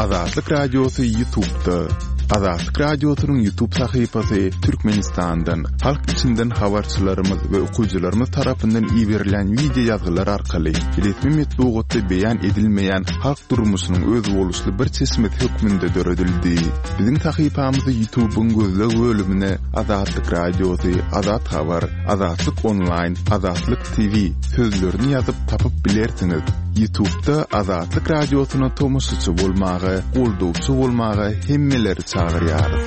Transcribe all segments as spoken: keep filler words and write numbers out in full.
Azatlyk Radiosy YouTube'da. Azatlyk Radiosynyň YouTube sahypasy Türkmenistandan, halk içinden habarçylarymyz we okyjylarymyz tarapyndan iberilen wideo ýazgylar arkaly resmi metbugatda beýan edilmeýän halk durmuşynyň özboluşly bir çeşmesi hökmünde döredildi. Biziň sahypamyzy YouTube'yň gözleg bölümine Azatlyk Radiosy, Azat Habar, Azatlyk Online, Azatlyk T V sözlerini ýazyp tapyp bilersiňiz. YouTube'da Azatlyk Radiosyna tomaşaçy bolmaga, goldawçy bolmaga hemmeleri çagyrýarys.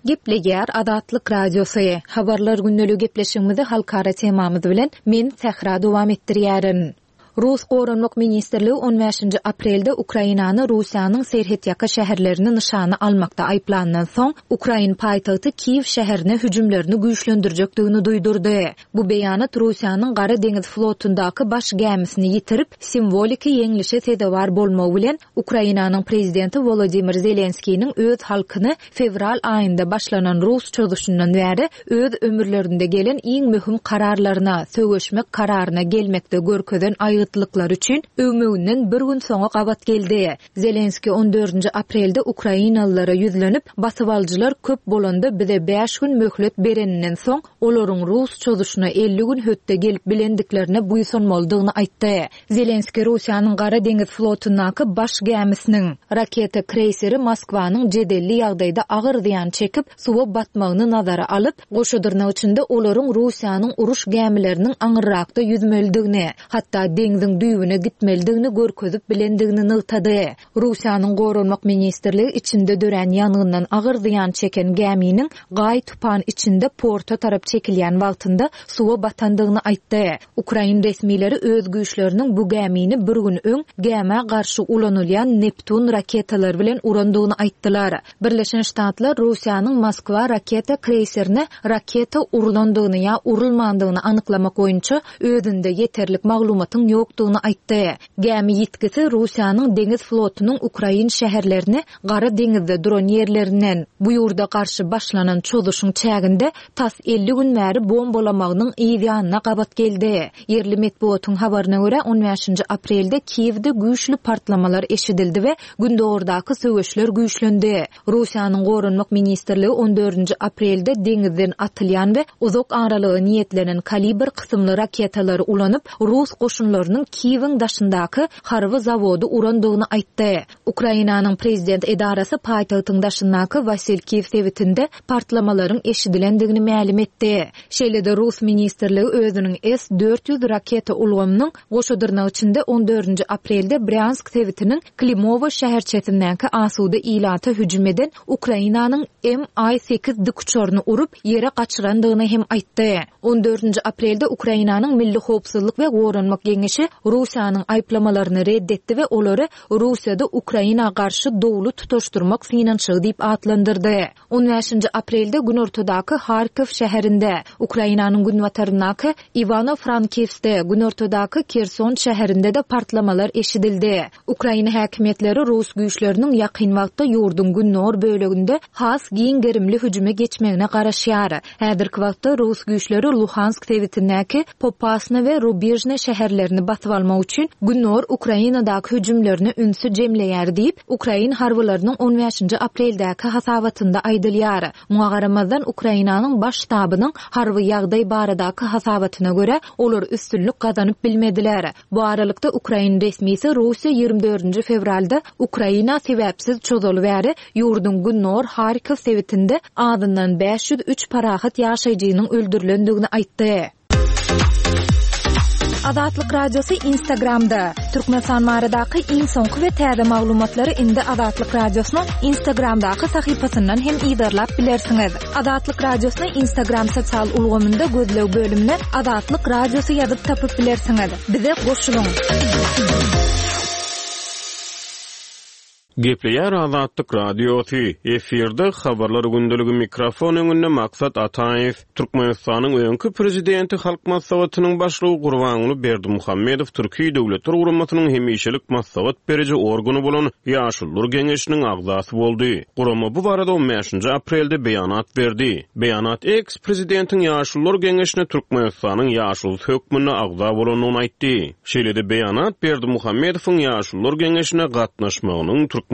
Gepleýär Azatlyk Radiosy. Habarlar gündeligi gepleşigimizi halkara temamyz bilen men Sähra dowam etdirýärin. Rus Goranmak Ministrligi on bäşinji aprelde Ukrainany Russiýanyň serhetýaka şäherlerini nyşana almakda aýyplandan soň, Ukrain paýtagty Kiýew şäherine hüjümlerini güýçlendirjekdigini duýdurdy. Bu beýanat Russiýanyň Gara deňiz flotundaky baş gämisini ýitirip, simwoliki ýeňlişe sezewar bolmagy bilen Ukrainanyň prezidenti Volodymyr Zelenskiniň öz halkyny fewral aýynda başlanan Rus çozuşyndan bäri öz ömürlerinde gelen iň möhüm kararlaryna, söweşmek kararyna gelmekde görkezen aýgytlyklary üçin öwmeginden bir gün soňa gabat geldi. Zelenski on dördünji aprelde Ukrainalylara ýüzlenip, basybalyjylar köp bolanda bize bäş gün möhlet bereninden soň, olaryň Rus çozuşyna elli gün hötde gelip bilendiklerine buýsanmalydygyny aýtdy. Zelenski Russiýanyň Gara deňiz flotundaky baş gämisiniň raketa kreýseri Moskwanyň jedelli ýagdaýda agyr zyýan çekip, suwa batmagyny nazara alyp, goşadyrnak içinde olaryň Russiýanyň uruş gämileriniň aňyrrakda ýüzmelidigini, hatda deňziň düýbüne gitmelidigini görkezip bilendigini nygtady. Russiýanyň Goranmak Ministrligi içinde dörän ýangyndan agyr zyýan çeken gäminiň gaý tupan içinde porta tarap çekilýän wagtynda suwa batandygyny aýtdy. Ukrain resmileri öz güýçleriniň bu gämini bir gün öň gämä garşy ulanylýan Neptun raketalary bilen urandygyny aýtdylar. Birleşen Ştatlar Russiýanyň Moskwa raketa kreýserine raketa urulandygyny ýa urulmandygyny anyklamak boýunça özünde ýeterlik maglumatyň ýokdugyny aýtdy. Gämi ýitgisi Russiýanyň deňiz flotunyň Ukrain şäherlerini Gara deňizde duran ýerlerinden bu ýurda garşy başlanan çozuşyň çäginde tas elli gün bäri bombalamagynyň ýanyna gabat geldi. Ýerli metbugatyň habaryna görä on bäşinji aprelde Kiýewde güýçli partlamalar eşidildi we Gündogardaky söweşler güýçlendi. Russiýanyň Goranmak Ministrligi on dördünji aprelde deňizden atylýan we uzak aralyga niýetlenen kalibr kysymly raketalary ulanyp, Rus goşunlarynyň Kiýewiň daşyndaky harby zawody urandygyny aýtdy. Ukrainanyň prezident edarasy paýtagtyň daşyndaky Wasilkiw sebitinde partlamalaryň eşidilendigini mälim etdi. Şeýle-de Rus Ministrligi özüniň S dört ýüz raketa ulgamynyň goşadyrnak içinde on dördünji aprelde Bryansk sebitiniň Klimowo şäherçesindäki asuda ilata hüjüm eden Ukrainanyň M I sekiz dikuçaryny urup ýere gaçyrandygyny hem aýtdy. On dördünji aprelde Ukrainanyň Milli Howpsuzlyk we Goranmak Geňeşi Russiýanyň aýyplamalaryny reddetdi we olary Russiýada Ukraina garşy dowly tutaşdyrmak synanyşygy diýip atlandyrdy. On bäşinji aprelde Günortadaky Harkov şäherinde, Ukrainanyň günbataryndaky Ivano-Frankivskde, Günortadaky Kerson şäherinde de partlamalar eşidildi. Ukraina häkimiýetleri Rus güýçleriniň ýakyn wagtda ýurduň gündogar böleginde has giň gerimli hüjüme geçmegine garaşýar. Häzirki wagtda Rus güýçleri Luhansk sebitindäki Popasna we Rubijne şäherlerini basyp almak üçin Gündogar Ukrainadaky hüjümlerine ünsi jemleýär diýip, Ukrain harbylarynyň on bäşinji apreldäki hasabatynda aýdylýar. Muňa garamazdan Ukrainanyň baş ştabynyň harby ýagdaý baradaky hasabatyna görä olar üstünlik gazanyp bilmediler. Bu aralykda Ukrain resmisi Russiýa ýigrimi dördünji fewralda Ukraina sebäpsiz çozaly bäri ýurduň Gündogar Harkov sebitinde azyndan bäş ýüz üç parahat ýaşaýjynyň öldürilendigini aýtdy. Azatlyk Radiosy Instagramda. Türkmenistan baradaky iň soňky we täze maglumatlary indi Azatlyk Radiosynyň Instagramdaky sahypasyndan hem yzarlap bilersiňiz. Azatlyk Radiosyny Instagram sosial ulgamynda gözleg bölümine Azatlyk Radiosy ýazyp tapyp bilersiňiz. Bize goşulyň. Gepleýär Azatlyk Radiosy, efirde habarlar gündeligi mikrofon öňünde Maksat Ataýew. Türkmenistanyň öňki prezidenti Halk Maslahatynyň başlygy Gurbanguly Berdimuhamedow Türki Döwletler Guramasynyň hemişelik maslahat beriji organy bolan Ýaşulular Geňeşiniň agzasy boldy. Gurama bu barada on bäşinji aprelde beýanat berdi. Beýanat eks-prezidentiň Ýaşulular Geňeşine Türkmenistanyň ýaşulusy hökmünde agza bolandygyny aýtdy. Şeýle-de beýanat Berdimuhamedowyň Ýaşulular Geňeşine gatnaşmagynyň Türkmenistanyň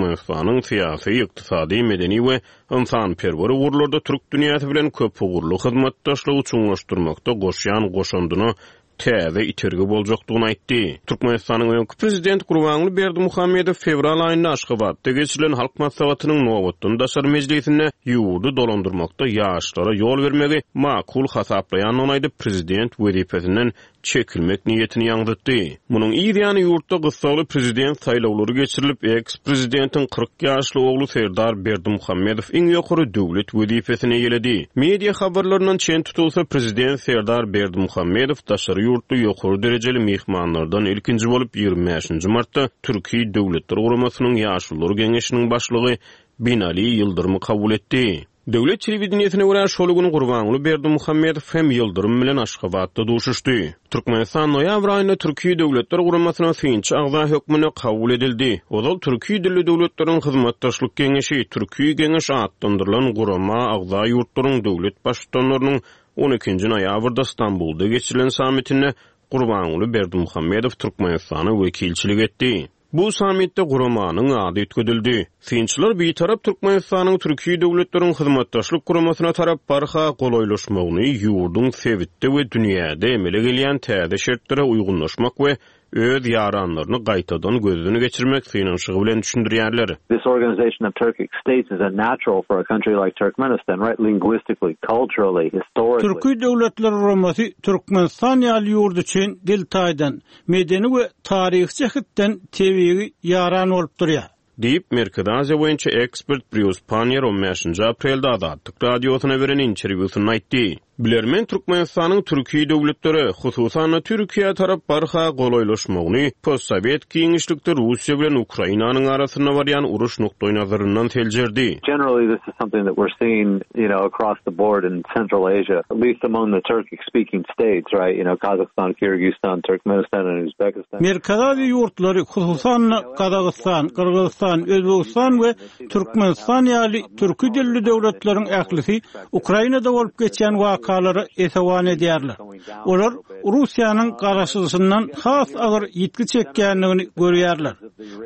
syýasy, ykdysady, medeni we ynsanperwer ugurlarda türk dünýäsi bilen köpugurly hyzmatdaşlygy çuňlaşdyrmakda goşýan goşandyna täze itergi boljakdygyny aýtdy. Türkmenistanyň öňki prezidenti Gurbanguly Berdimuhamedow fewral aýynda Aşgabatda geçirilen Halk Maslahatynyň nobatdan daşary mejlisinde ýurdy dolandyrmakda ýaşlara ýol bermegi makul hasaplaýandygyny aýdyp, prezident wezipesinden çekilmek niýetini ýaňzytdy. Munuň yz ýany ýurtda gyssagly prezident saýlawlary geçirilip, eks-prezidentiň kyrk ýaşly ogly Serdar Berdimuhamedow iň ýokary döwlet wezipesini eýeledi. Media habarlaryndan çen tutulsa, prezident Serdar Berdimuhamedow daşary ýurtly ýokary derejeli myhmanlardan ilkinji bolup ýigrimi bäşinji martda Türki Döwletler Guramasynyň Ýaşulular Geňeşiniň başlygy Binali Ýyldyrymy kabul etdi. Döwlet telewideniýesine görä şol gün Gurbanguly Berdimuhamedow hem Ýyldyrym bilen Aşgabatda duşuşdy. Türkmenistan noýabr aýynda Türki Döwletler Guramasyna synçy agza hökmünde kabul edildi. Ozal Türki dilli döwletleriň hyzmatdaşlyk geňeşi, Türki Geňeş atlandyrylan gurama agza ýurtlaryň döwlet baştutanlarynyň on ikinji noýabrda Stambulda geçirilen sammitinde Gurbanguly Berdimuhamedow Türkmenistana wekilçilik etdi. Bu sammitde guramanyň ady üýtgedildi. Synçylar bitarap Türkmenistanyň Türki döwletleriň hyzmatdaşlyk guramasyna tarap barha golaýlaşmagyny ýurduň sebitde we dünýäde emele gelýän täze şertlere uýgunlaşmak we öz ýaranlaryny gaýtadan gözden geçirmek synanyşygy bilen düşündirýärler. This organization of Turkic states is a natural for a country like Turkmenistan, right? Linguistically, culturally, historically. Türki Döwletler Guramasy Türkmenistan ýaly ýurt üçin dil taýdan, medeni we taryhy jähetden tebigy ýaran bolup durýar. Diýip, Merkezi Aziýa boýunça ekspert Brýus Pannier on bäşinji aprelde Azatlyk Radiosyna beren interwýusynda aýtdy. Bilermen Türkmenistanyň Türki döwletlere, hususan-da Türkiýä tarap barha golaýlaşmagyny postsowet giňişlikde Russiýa bilen Ukrainanyň arasynda barýan uruş nukdaýnazaryndan seljerdi. Generally this is something that we're seeing, you know, across the board in Central Asia, at least among the Turkic speaking states, right? You know, Kazakhstan, Kyrgyzstan, Turkmenistan and Uzbekistan. Merkezi Aziýa ýurtlary, hususan-da Gazagystan, Gyrgyzystan, Özbegistan we Türkmenistan ýaly türki dilli döwletleriň ählisi Ukrainada bolup geçýän wakalara esewan edýärler. Olar Russiýanyň garaşyşyndan has agyr ýitgi çekýändigini görýärler.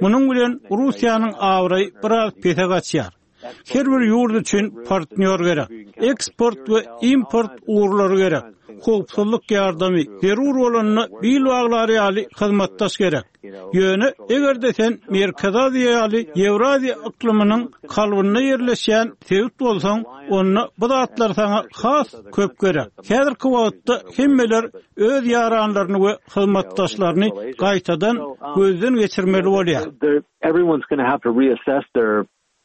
Munuň bilen Russiýanyň abraýy biraz pese gaçýar. Her bir ýurt üçin partnýor gerek. Eksport we import ugurlary gerek. Howpsuzlyk ýardamy zerur bolanda bil baglar ýaly hyzmatdaş gerek. Ýöne eger-de sen Merkezi Aziýa ýaly Ýewraziýa yklymynyň kalbynda ýerleşýän sebit bolsaň, onda bu zatlar saňa has köp gerek. Häzirki wagtda hemmeler öz ýaranlaryny we hyzmatdaşlaryny gaýtadan gözden geçirmeli bolýar. Everyone's gonna have to reassess their,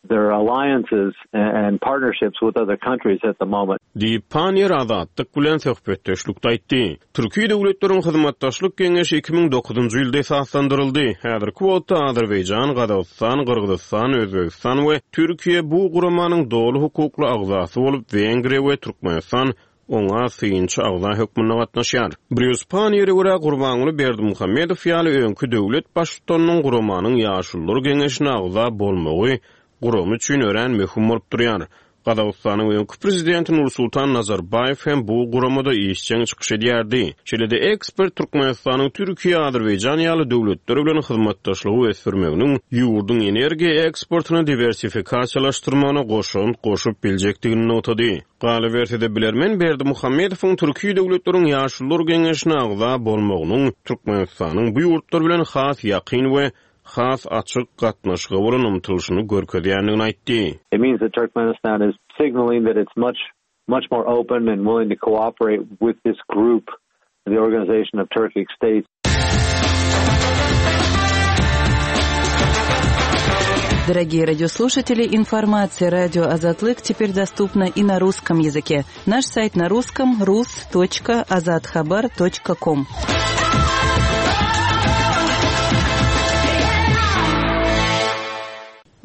their alliances and partnerships with other countries at the moment. Diýip, Pannier Azatlyk bilen söhbetdeşlikde aýtdy. Türki döwletleriň hyzmatdaşlyk geňeşi iki müň dokuzynjy ýylda esaslandyryldy. Häzirki wagtda Azerbaýjan, Gazagystan, Gyrgyzystan, Özbegistan we Türkiýe bu guramanyň doly hukukly agzasy bolup, Wengriýa we Türkmenistan oňa synçy agza hökmünde gatnaşýar. Brýus Panniere görä Gurbanguly Berdimuhamedow ýaly öňki döwlet baştutanynyň guramanyň ýaşulular geňeşine agza bolmagy gurama üçin örän möhüm bolup durýar. Gazagystanyň öňki prezidenti Nursultan Nazarbaýew hem bu guramada işjeň çykyş edýärdi. Şeýle-de ekspert Türkmenistanyň Türkiýe, Azerbaýjan ýaly döwletler bilen hyzmatdaşlygy ösdürmeginiň ýurduň energiýa eksportyny diwersifikasiýalaşdyrmagyna goşant goşup biljekdigini nygtady. Galyberse-de bilermen Berdimuhamedowyň Türki döwletleriň ýaşulular geňeşine agza bolmagynyň Türkmenistanyň bu ýurtlar bilen has ýakyn we has açyk gatnaşyga bolan ymtylyşyny görkezýändigini aýtdy. It means that Turkmenistan is signaling that it's much, much more open and willing to cooperate with this group, the Organization of Turkic States. Дорогие радиослушатели, информация радио Азатлык теперь доступна и на русском языке. Наш сайт на русском рус точка азатхабар точка ком.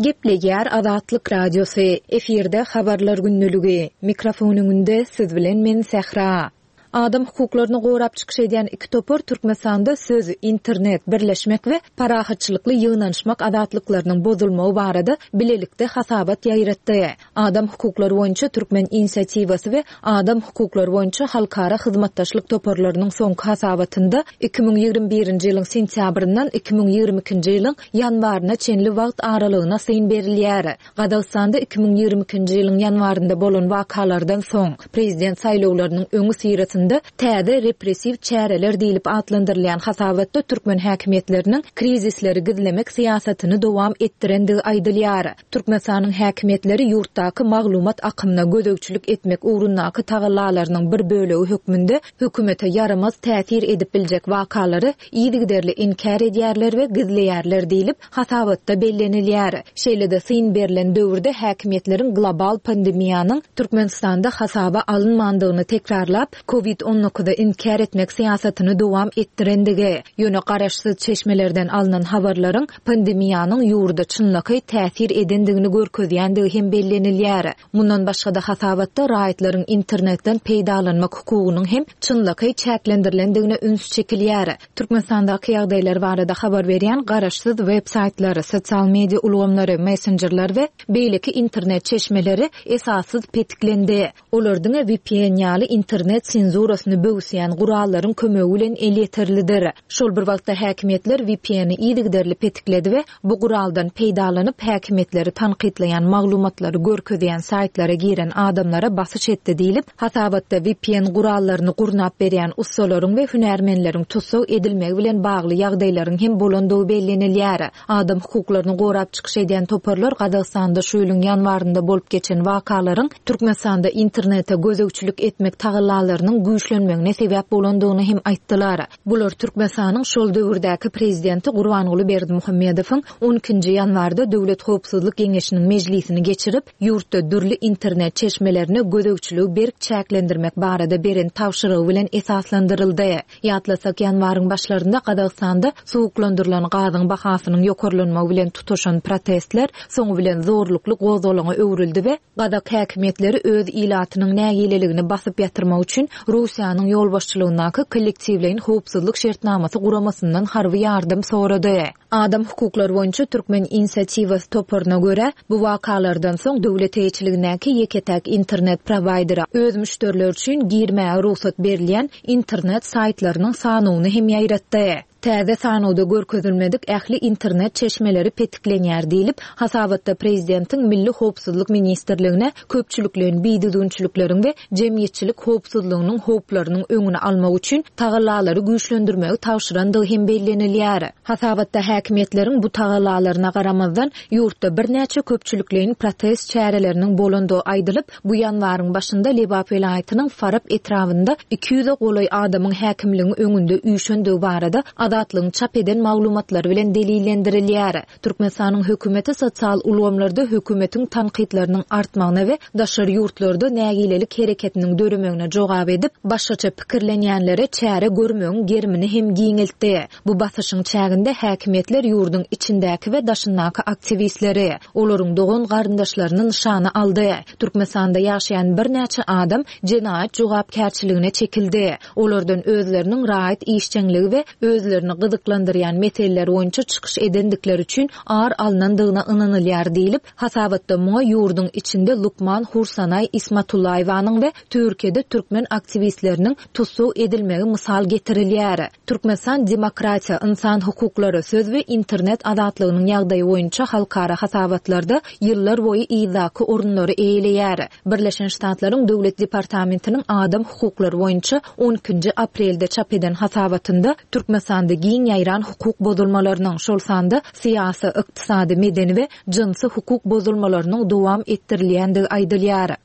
Gepleýär Azatlyk Radiosy. Efirde habarlar gündeligi. Mikrofon öňünde siz bilen men Sähra. Adam hukuklaryny gorap çykyş edýän iki topar Türkmenistanda söz, internet, birleşmek we parahatçylykly ýygnanyşmak azatlyklarynyň bozulmagy barada bilelikde hasabat ýaýratdy. Adam hukuklary boýunça Türkmen inisiatiwasy we Adam hukuklary boýunça halkara hyzmatdaşlyk toparlarynyň soňky hasabatynda iki müň ýigrimi birinji ýylyň sentýabryndan iki müň ýigrimi ikinji ýylyň ýanwaryna çenli wagt aralygyna syn berilýär. Gazagystanda iki müň ýigrimi ikinji ýylyň ýanwarynda bolan wakalardan soň prezident saýlawlarynyň öňi syrasynda täze repressiw çäreler diýlip atlandyrylýan hasabatda türkmen häkimiýetleriniň krizisleri gizlemek syýasatyny dowam etdirendigi aýdylýar. Türkmenistanyň häkimiýetleri ýurtdaky maglumat akymyna gözegçilik etmek ugrundaky tagallalarynyň bir bölegi hökmünde hökümete ýaramaz täsir edip biljek wakalary yzygiderli inkär edýärler we gizleýärler diýlip hasabatda bellenilýär. Şeýle-de syn berlen döwürde häkimiýetleriň global pandemiýanyň Türkmenistanda hasaba alynmandygyny tekrarlap, COVID on dokuzy inkär etmek syýasatyny dowam etdirendigi, ýöne garaşsyz çeşmelerden alynan habarlaryň pandemiýanyň ýurda çynlakaý täsir edendigini görkezýändigi hem bellenilýär. Mundan başga-da hasabatda raýatlaryň internetden peýdalanmak hukugynyň hem çynlakaý çäklendirilendigine üns çekilýär. Türkmenistandaky ýagdaýlar barada habar berýän garaşsyz web saýtlary, sosial media ulgamlary, messenjerler we beýleki internet çeşmeleri esassyz petiklendi. Olar diňe V P N ýaly internet senzurasyny böwsýän gurallaryň kömegi bilen elýeterlidir. Şol bir wagtda häkimiýetler V P N-i yzygiderli petikledi we bu guraldan peýdalanyp häkimiýetleri tankytlaýan maglumatlary görkezýän saýtlara giren adamlara basyş etdi diýlip, hasabatda V P N gurallaryny gurnap berýän ussalaryň we hünärmenleriň tussag edilmegi bilen bagly ýagdaýlaryň hem bolandygy bellenilýär. Adam hukuklaryny gorap çykyş edýän toparlar Gazagystanda şu ýylyň ýanwarynda bolup geçen wakalaryň Türkmenistanda internete gözegçilik etmek tagallalarynyň güýçlenmegine sebäp bolandygyny hem aýtdylar. Bular Türkmenistanyň şol döwürdäki prezidenti Gurbanguly Berdimuhamedowyň on ikinji ýanwarda Döwlet Howpsuzlyk Geňeşiniň mejlisini geçirip, ýurtda dürli internet çeşmelerine gözegçiligi berk çäklendirmek barada beren tabşyrygy bilen esaslandyryldy. Ýatlasak, ýanwaryň başlarynda Gazagystanda suwuklandyrylan gazyň bahasynyň ýokarlanmagy bilen tutaşan protestler soňy bilen zorlukly gozgalaňa öwrüldi we Gazak häkimiýetleri öz ilatynyň nägileligini basyp ýatyrmak üçin Russiýanyň ýolbaşçylygyndaky kollektiwleýin howpsuzlyk şertnamasy guramasyndan harby ýardam sorady. Adam hukuklary boýunça Türkmen inisiatiwasy toparyna görä, bu wakalardan soň döwlet eýeçiligindäki ýeke-täk internet prowaýderi öz müşderileri üçin girmäge rugsat berilýän internet saýtlarynyň sanyny hem ýaýratdy. Täze sanawda görkezilmedik ähli internet çeşmeleri petiklenýär diýlip, hasabatda prezidentiň Milli Howpsuzlyk Ministrligine köpçülikleýin bidüzgünçilikleriň we jemgyýetçilik howpsuzlygynyň howplarynyň öňüni almak üçin tagallalary güýçlendirmegi tabşyrandygy hem bellenilýär. Hasabatda häkimiýetleriň bu tagallalaryna garamazdan ýurtda birnäçe köpçülikleýin protest çäreleriniň bolandygy aýdylyp, bu ýanwaryň başynda Lebap welaýatynyň Farap etrabynda iki ýüze golaý adamyň häkimligiň öňünde üýşendigi barada Azatlygyň çap eden maglumatlary bilen delillendirilýär. Türkmenistanyň hökümeti sosial ulgamlarda hökümetiň tankytlarynyň artmagyna we daşary ýurtlarda nägilelik hereketiniň döremegine jogap edip, başgaça pikirlenýänlere çäre görmegiň gerimini hem giňeltdi. Bu basyşyň çäginde häkimiýetler ýurduň içindäki we daşyndaky aktiwistleri, olaryň dogan garyndaşlaryny nyşana aldy. Türkmenistanda ýaşaýan birnäçe adam jenaýat jogapkärçiligine çekildi. Olardan özleriniň raýat işjeňligi we özlerini gyzyklandyrýan meseleler boýunça çykyş edendikleri üçin ar alnandygyna ynanylýar diýlip, hasabatda muňa ýurduň içinde Lukman Hursanaý Ismatullaýewanyň we Türkiýede türkmen aktiwistleriniň tussag edilmegi mysal getirilýär. Türkmenistan demokratiýa, insan hukuklary, söz we internet azatlygynyň ýagdaýy boýunça halkara hasabatlarda ýyllar boýy yzdaky orunlary eýeleýär. Birleşen Ştatlaryň Döwlet Departamentiniň adam hukuklary boýunça on ikinji aprelde çap eden hasabatynda Türkmenistanda giň ýaýran hukuk bozulmalarynyň, şol sanda syýasy, ykdysady, medeni we jynsy hukuk bozulmalarynyň dowam etdirilýändigi aýdylýar.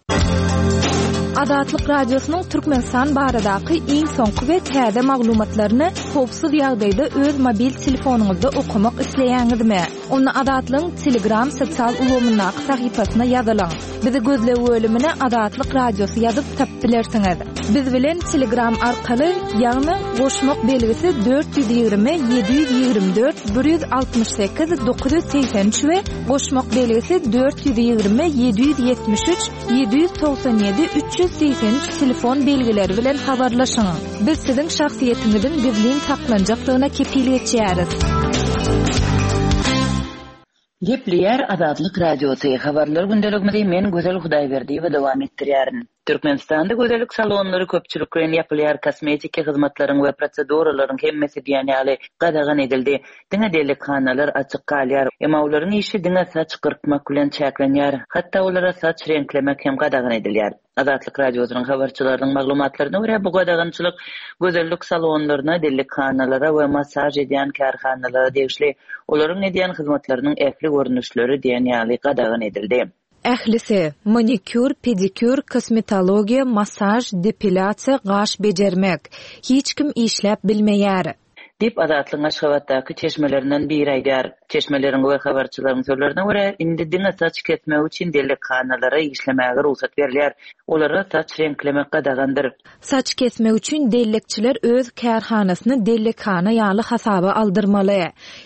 Azatlyk Radiosynyň Türkmenistan baradaky iň soňky we täze maglumatlaryny howpsuz ýagdaýda öz mobil telefonyňyzda okamak isleýäňizmi? Onda Azatlygyň Telegram sosial ulgamyndaky sahypasyna ýazylyň. Bizi gözleg bölümine Azatlyk Radiosy ýazyp tapyp bilersiňiz. Biz bilen Telegram arkaly, ýagny goşmak belgisi dört ýüz ýigrimi ýedi ýüz ýigrimi dört bir ýüz altmyş sekiz dokuz ýüz segsen üç we goşmak belgisi dört ýüz ýigrimi ýedi ýüz ýetmiş üç ýedi ýüz togsan ýedi üç ýüz segsen üç telefon belgileri bilen habarlaşyň. Biz siziň şahsyýetiňiziň gizlin saklanjakdygyna kepil geçýäris. Gepleýär Azatlyk Radiosy. Habarlar gündeligimizi men Gözel Hudaýberdiýewa dowam etdirýärin. Türkmenistanda gözellik salonlary köpçülikleýin ýapylýar, kosmetiki hyzmatlaryň we proseduralaryň hemmesi diýen ýaly gadagan edildi. Diňe dellekhanalar açyk galýar. Emma olaryň işi diňe saç gyrkmak bilen çäklenýär. Hatda olara saç reňklemek hem gadagan edilýär. Azatlyk Radiosynyň habarçylarynyň maglumatlaryna görä, bu gadagançylyk gözellik salonlaryna, dellekhanalara we massaž edýän kärhanalara degişli. Olaryň edýän hyzmatlarynyň ähli görnüşleri diýen ýaly gadagan edildi. Ählisi manikýur, pedikýur, kosmetologiýa, massaž, depilýasiýa, gaş bejermek. Hiç kim işläp bilmeýär. Diýip Azatlygyň Aşgabatdaky çeşmelerinden biri aýdýar. Çeşmeleriň we habarçylaryň sözlerine görä, indi diňe saç kesmek üçin dellekhanalara işlemäge rugsat berilýär. Olara saç reňklemek gadagandyr. Saç kesmek üçin dellekçiler öz kärhanasyny dellekhana ýaly hasaba aldyrmaly.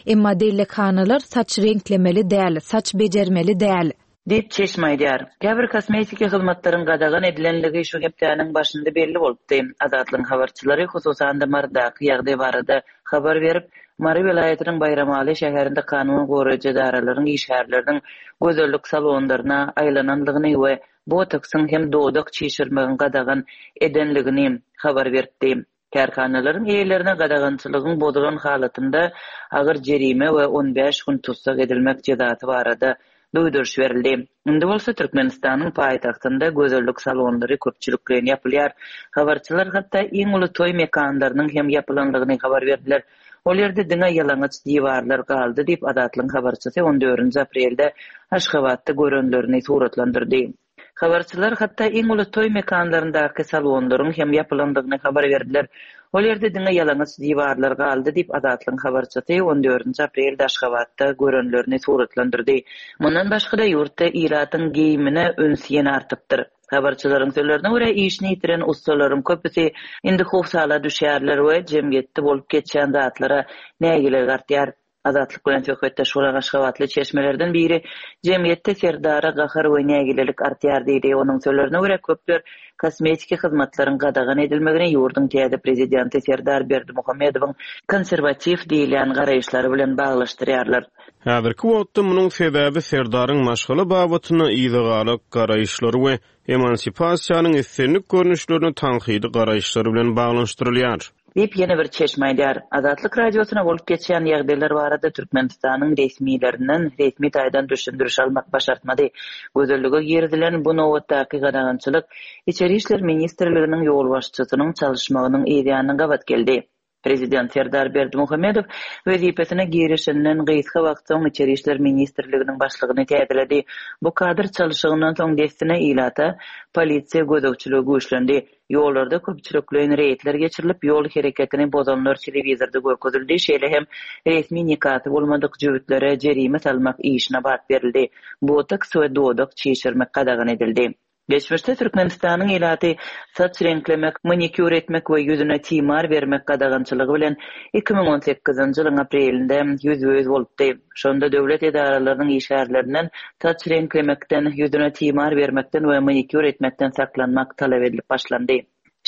Emma dellekhanalar saç reňklemeli däl, saç bejermeli däl. Diýip çeşme aýdýar. Käbir kosmetiki hyzmatlaryň gadagan edilenligi şu hepdäniň başynda belli bolupdy. Azatlygyň habarçylary hususan-da Marydaky ýagdaý barada habar berip, Mary welaýatynyň Baýramaly şäherinde kanun goraýjy edaralaryň işgärleriniň gözellik salonlaryna aýlananlygyny we botoksyň hem dodak çişirmegiň gadagan edenligini habar beripdi. Kärhanalaryň eýelerine gadagançylygyň bozulan halatynda agyr jerime we on bäş gün tussag edilmek jezasy barada duýduryş berildi. Indi bolsa Türkmenistanyň paýtagtynda gözellik salonlary köpçülikleýin ýapylýar. Habarçylar hatda iň uly toý mekanlarynyň hem ýapylanlygyny habar berdiler. Ol ýerde diňe ýalaňaç diwarlar galdy diýip Azatlygyň habarçysy on dördünji aprelde Aşgabatda görenlerini suratlandyrdy. Habarçylar hatda iň uly toý mekanlaryndaky salonlaryň hem ýapylandygyny habar berdiler. Ol ýerde diňe ýalaňaç diwarlar galdy diýip Azatlygyň habarçysy on dördünji aprelde Aşgabatda görenlerini suratlandyrdy. Mundan başga-da ýurtda ilatyň geýimine üns ýene artypdyr. Habarçylaryň sözlerine görä, işini ýitiren ussalaryň köpüsi indi howsala düşýärler we jemgyýetde bolup geçýän zatlara nägilelik artýar. Azatlyk bilen söhbetdeş bolan Aşgabatly çeşmelerden biri jemgyýetde Serdara gahar we nägilelik artýar diýdi. Onuň sözlerine görä, köpler kosmetiki hyzmatlaryň gadagan edilmegini ýurduň täze prezidenti Serdar Berdimuhamedowyň konserwatiw diýilýän garaýyşlary bilen baglaşdyrýarlar. Häzirki wagtda munuň sebäbi Serdaryň maşgala babatynda yzagalak garaýyşlary we emansipasiýanyň islendik görnüşlerini tankydy garaýyşlary bilen baglanyşdyrylýar. Diýip ýene bir çeşme aýdýar. Azatlyk Radiosyna bolup geçýän ýagdaýlar barada Türkmenistanyň resmilerinden resmi taýdan düşündiriş almak başartmady. Gözellige girizilen bu nobatdaky gadagançylyk Içeri işler ministrliginiň ýolbaşçysynyň çalyşmagynyň yzýanyna gabat geldi. Prezident Serdar Berdimuhamedow wezipesine girişinden gysga wagt soň Içeri işler ministrliginiň başlygyny täzeledi. Bu kadr çalyşygyndan soň dessine ilata polisiýa gözegçiligi güýçlendi. Ýollarda köpçülikleýin reýdler geçirilip, ýol hereketini bozanlar telewizorda görkezildi. Şeýle hem resmi nikasy bolmadyk jübütlere jerime salmak işine bat berildi. Botoks we dodak çişirmek gadagan edildi. Geçmişde Türkmenistanyň ilaty saç reňklemek, manikýur etmek we ýüzüne timar bermek gadagançylygy bilen iki müň on sekizinji ýylyň aprelinde ýüzbe-ýüz bolupdy. Şonda döwlet edaralarynyň işgärlerinden saç reňklemekden, ýüzüne timar bermekden we manikýur etmekden saklanmak talap edilip başlandy.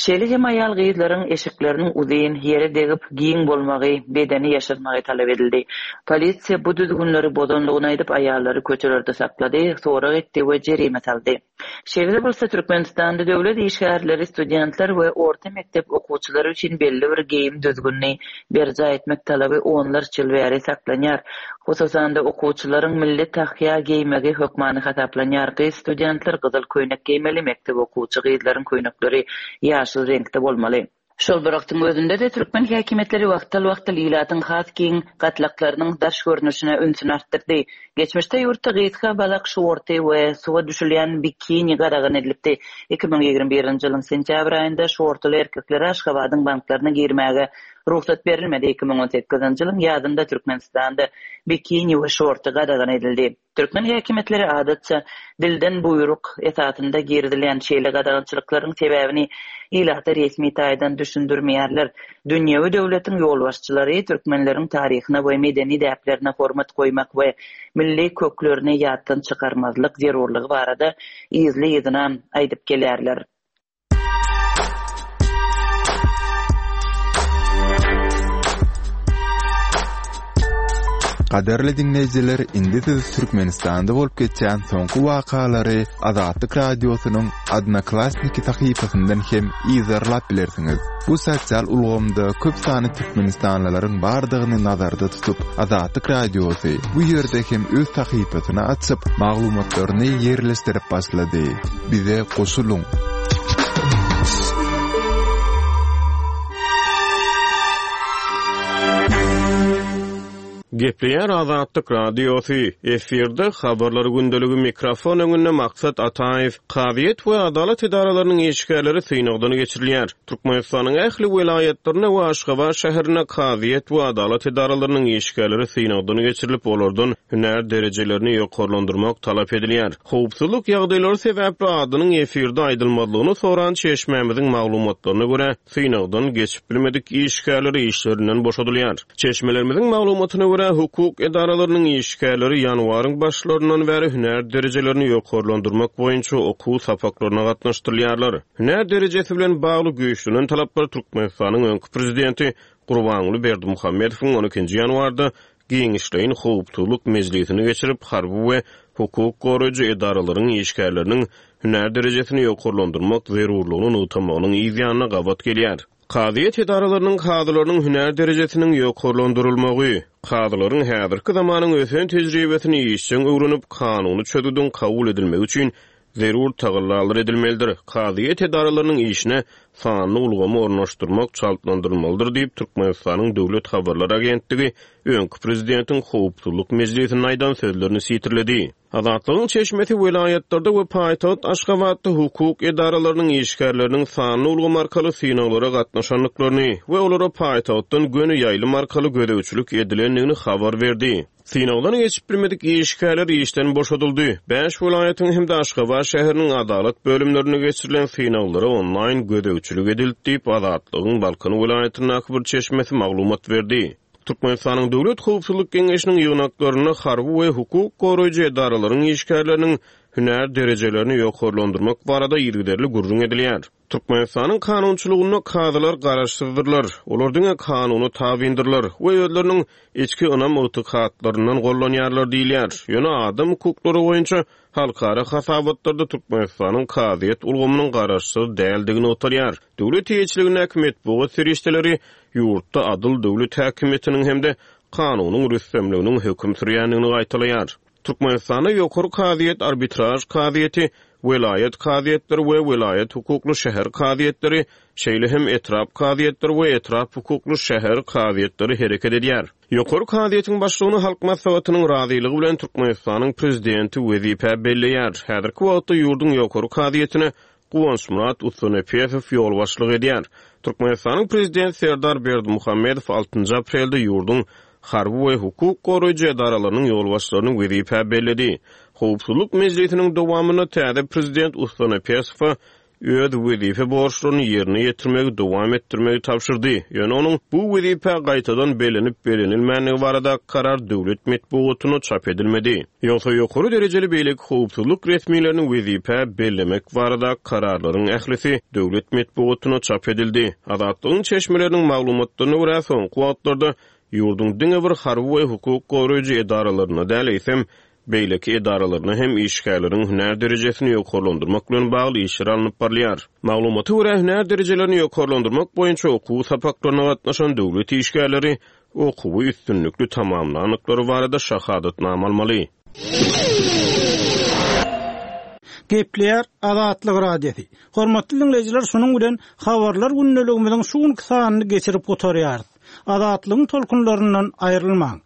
Şeýle hem aýal gyzlaryň eşikleriniň uzyn, ýere degip, giň bolmagy, bedeni ýaşyrmagy talap edildi. Polisiýa bu düzgünleri bozanlygyny aýdyp, aýallary köçelerde saklady, sorag etdi we jerime saldy. Şeýle bolsa Türkmenistanda döwlet işgärleri, studentler we orta mekdep okuwçylary üçin belli bir geýim düzgünini berjaý etmek talaby onlarça ýyl bäri saklanýar. Hususan-da okuwçylaryň milli tahýa geýmegi hökmany hasaplanýar. Gyz studentler gyzyl köýnek geýmeli, mekdep okuwçy gyzlaryň köýnekleri ýaşyl reňkde bolmaly. Şol bir wagtyň özünde-de türkmen häkimiýetleri wagtal-wagtal ilatyň has giň gatlaklarynyň daş görnüşine ünsüni artdyrdy. Geçmişde ýurtda gysga balak şorty we suwa düşülýän bikini gadagan edilipdi. Iki müň ýigrimi birinji ýylyň sentýabr aýynda şortuly erkeklere Aşgabadyň banklaryna girmäge rugsat berilmedi. Iki müň on sekizinji ýylyň ýazynda Türkmenistanda bikini we şorty gadagan edildi. Türkmen häkimiýetleri adatça dilden buýruk esasynda girizilýän şeýle gadagançylyklaryň sebäbini ilata resmi taýdan düşündirmeýärler. Dünýewi döwletiň ýolbaşçylary türkmenleriň taryhyna we medeni däplerine hormat goýmak we milli köklerini ýatdan çykarmazlyk zerurlygy barada yzly-yzyna aýdyp gelýärler. Gadyrly diňleýjiler, indi siz Türkmenistanda bolup geçýän soňky wakalary Azatlyk Radiosynyň Odnoklassniki sahypasyndan hem yzarlap bilersiňiz. Bu sosial ulgamda köp sanly türkmenistanlylaryň bardygyny nazarda tutup, Azatlyk Radiosy bu ýerde hem öz sahypasyny açyp, maglumatlaryny ýerleşdirip başlady. Bize goşulyň. Gepleýär Azatlyk Radiosy, efirde habarlar gündeligi mikrofon öňünde Maksat Ataýew. Kazyýet we adalat edaralarynyň işgärleri synagdan geçirilýär. Türkmenistanyň ähli welaýatlarynda we Aşgabat şäherinde kazyýet we adalat edaralarynyň işgärleri synagdan geçirilip, olardan hünär derejelerini ýokarlandyrmak talap edilýär. Howpsuzlyk ýagdaýlary sebäpli adynyň efirde aýdylmazlygyny soran çeşmämiziň maglumatlaryna görä, synagdan geçip bilmedik işgärleri işlerinden boşadylýar. Çeşmelerimiziň maglumatyna görä, hukuk edaralarynyň işgärleri ýanwaryň başlaryndan bäri hünär derejelerini ýokarlandyrmak boýunça okuw sapaklaryna gatnaşdyrylýarlar. Hünär derejesi bilen bagly güýçlenen talaplar Türkmenistanyň öňki prezidenti Gurbanguly Berdimuhamedowyň on ikinji ýanwarda giňişleýin howpsuzlyk mejlisini geçirip, harby we hukuk goraýjy edaralaryň işgärleriniň hünär derejesini ýokarlandyrmak zerurlygyny nygtamagynyň yz ýanyna gabat gelýär. Kazyýet edaralarynyň kazylarynyň hünär derejesiniň ýokarlandyrylmagy, kazylaryň häzirki zamanyň ösen tejribesini işjeň öwrenip, kanuny çözgüdiň kabul edilmegi üçin zerur tagallalar edilmelidir. Kazyýet edaralarynyň işine sanly ulgamy ornaşdyrmak çaltlandyrylmalydyr diýip, Türkmenistanyň Döwlet Habarlar Agentligi öňki prezidentiň howpsuzlyk mejlisinde aýdan sözlerini sitirledi. Azatlygyň çeşmesi welaýatlarda we paýtagt Aşgabatda hukuk edaralarynyň işgärleriniň sanly ulgam arkaly synaglara gatnaşandyklaryny we olara paýtagtdan göni ýaýlym arkaly gözegçilik edilendigini habar berdi. Synagdan geçip bilmedik işgärler işden boşadyldy. Bäş welaýatyň hem-de Aşgabat şäheriniň adalat bölümlerinde geçirilen synaglara onlaýn gözegçilik edildi diýip, Azatlygyň Balkan welaýatyndaky bir çeşmesi maglumat berdi. Türkmenistanyň Döwlet Howpsuzlyk Geňeşiniň ýygnaklarynda harby we hukuk goraýjy edaralaryň işgärleriniň hünär derejelerini ýokarlandyrmak barada yzygiderli gürrüň edilýär. Türkmenistanyň kanunçylygynda kazylar garaşsyzdyrlar. Olar diňe kanuna tabindyrlar we özleriniň içki ynam ygtykatlaryndan gollanýarlar diýilýär. Ýöne adam hukuklary boýunça halkara hasabatlarda Türkmenistanyň kazyýet ulgamynyň garaşsyz däldigini nygtalýar. Döwlet eýeçiligindäki metbugat serişdeleri ýurtda adyl döwlet häkimiýetiniň hem-de kanunyň rüstemliginiň höküm sürýändigini gaýtalaýar. Türkmenistanda ýokary kazyýet, arbitraj kazyýeti, welaýat kazyýetleri we welaýat hukukly şäher kazyýetleri, şeýle hem etrap kazyýetleri we etrap hukukly şäher kazyýetleri hereket edýär. Ýokary kazyýetiň başlygyny Halk Maslahatynyň razylygy bilen Türkmenistanyň prezidenti wezipe belleýär. Häzirki wagtda ýurduň ýokary kazyýetine Guwançmyrat Ustunepesow ýolbaşçylyk edýär. Türkmenistanyň prezidenti Serdar Berdimuhamedow altynjy aprelde ýurduň harby we hukuk goraýjy edaralarynyň ýolbaşçylaryny wezipe belledi. Howpsuzlyk mejlisiniň dowamynda täze prezident Ustunepesowa öz wezipe borçlaryny ýerine ýetirmegi dowam etdirmegi tabşyrdy. Ýöne onuň bu wezipe gaýtadan bellenip bellenilmänligi barada karar döwlet metbugatyna çap edilmedi. Ýogsa ýokary derejeli beýleki howpsuzlyk resmilerini wezipe bellemek barada kararlaryň ählisi döwlet metbugatyna çap edildi. Azatlygyň çeşmeleriniň maglumatlaryna görä soňky wagtlarda ýurduň diňe bir harby we hukuk goraýjy edaralaryna däl, eýsem beýleki edaralaryna hem işgärleriň hünär derejesini ýokarlandyrmak bilen bagly işler alnyp barylýar. Maglumata görä hünär derejelerini ýokarlandyrmak boýunça okuw sapaklaryna gatnaşan döwlet işgärleri okuwy üstünlikli tamamlandyklary barada şahadatnama almaly. Gepleýär Azatlyk Radiosy. Hormatly diňleýjiler, şunuň bilen habarlar gündeligimiziň şu günki sanyny geçirip gutarýarys. Azatlygyň tolkunlaryndan aýrylmaň.